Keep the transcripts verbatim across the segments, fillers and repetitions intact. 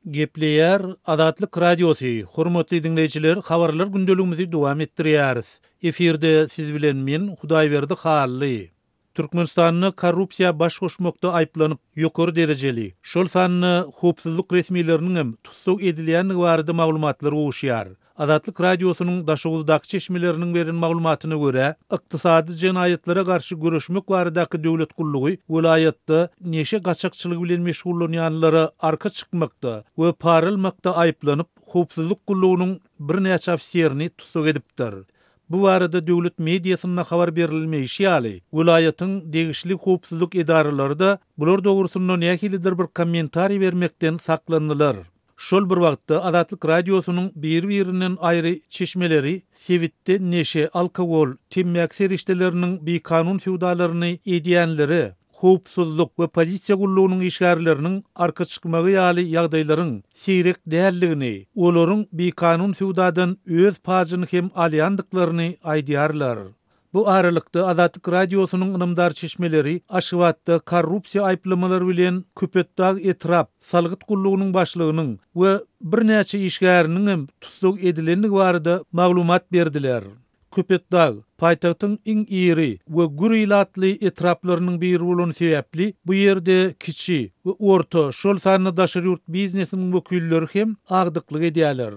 Gepleýär Azatlyk Radiosy, Hormatly diňleýjiler, habarlar gündeligimizi dowam etdirýäris. Efirde siz bilen men Hudaýberdi Hally. Türkmenistanda korrupsiýa baş goşmakda aýyplanyp, ýokary derejeli, şol sanda howpsuzlyk resmileriniň hem tussag edilýändigi barada maglumatlar gowuşýar. Azatlyk Radiosynyň Daşoguzdaky çeşmeleriniň beren maglumatyna görä, ykdysady jenaýatlara garşy göreşmek baradaky döwlet gullugy welaýatda neşe gaçakçylygy bilen meşgullanýanlara arka çykmakda we para almakda aýyplanyp, howpsuzlyk gullugynyň birnäçe ofiserini tussag edipdir. Bu barada döwlet mediasynda habar berilmeýşi ýaly, welaýatyň degişli howpsuzlyk edaralary-da bular dogrusynda nähilidir bir kommentariý bermekden saklandylar. Şol bir wagtda Azatlyk Radiosynyň bir-birinden aýry çeşmeleri sebitde neşe, alkogol, temmäki serişdeleriniň bikanun söwdalaryny edýänlere howpsuzlyk we polisiýa gullugynyň işgärleriniň arka çykmagy ýaly ýagdaýlaryň seýrek däldigini, olaryň bikanun söwdadan öz pajyny hem alýandyklaryny aýdýarlar. Bu aralykda Azatlyk Radiosynyň ynamdar çeşmeleri Aşgabatda korrupsiýa aýyplamalary bilen Köpetdag etrap salgyt gullugynyň başlygynyň we birnäçe işgäriniň hem tussag edilendigi barada maglumat berdiler. Köpetdag paýtagtyň iň iri we gür ilatly etraplarynyň biri bolany sebäpli bu ýerde kiçi we orta, şol sanda daşary ýurt biznesiniň wekilleri hem agdyklyk edýärler.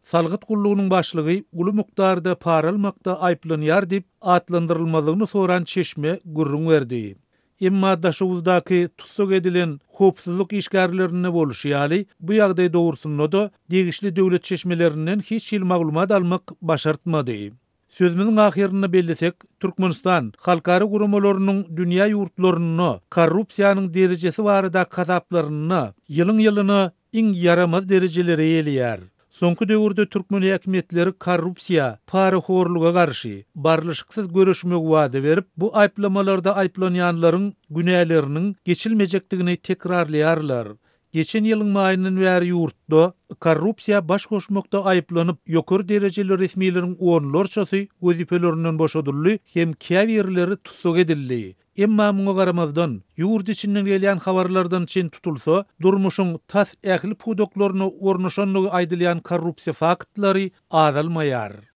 Salgyt gullugynyň başlygy uly mukdarda para almakda aýyplanýar diýip, atlandyrylmazlygyny soran çeşme gürrüň berdi. Emma Daşoguzdaky tussag edilen howpsuzlyk işgärlerinde bolşy ýaly, bu ýagdaý dogrusynda-da degişli döwlet çeşmelerinden hiç hili maglumat almak başartmady. Sözümiziň ahyrynda bellesek, Türkmenistan halkara guramalarynyň dünýä ýurtlarynda korrupsiýanyň derejesi baradaky hasaplarynda ýylyň-ýylyna iň ýaramaz derejeleri eýeleýär. Soňky döwürde türkmen häkimiýetleri korrupsiýa, parahorluga garşy barlyşyksyz göreşmegi wada berip, bu aýyplamalarda aýyplanýanlaryň günäleriniň geçilmejekdigini tekrarlaýarlar. Geçen ýylyň maýyndan bäri ýurtda korrupsiýa baş goşmakda aýyplanyp, ýokary derejeli resmileriň onlarçasy wezipelerinden boşadyldy hem käbirleri tussag edildi. Emma muňa garamazdan, ýurt içinden gelýän habarlardan çen tutulsa, durmuşyň tas ähli pudaklaryna ornaşandygy aýdylýan korrupsiýa faktlary azalmaýar.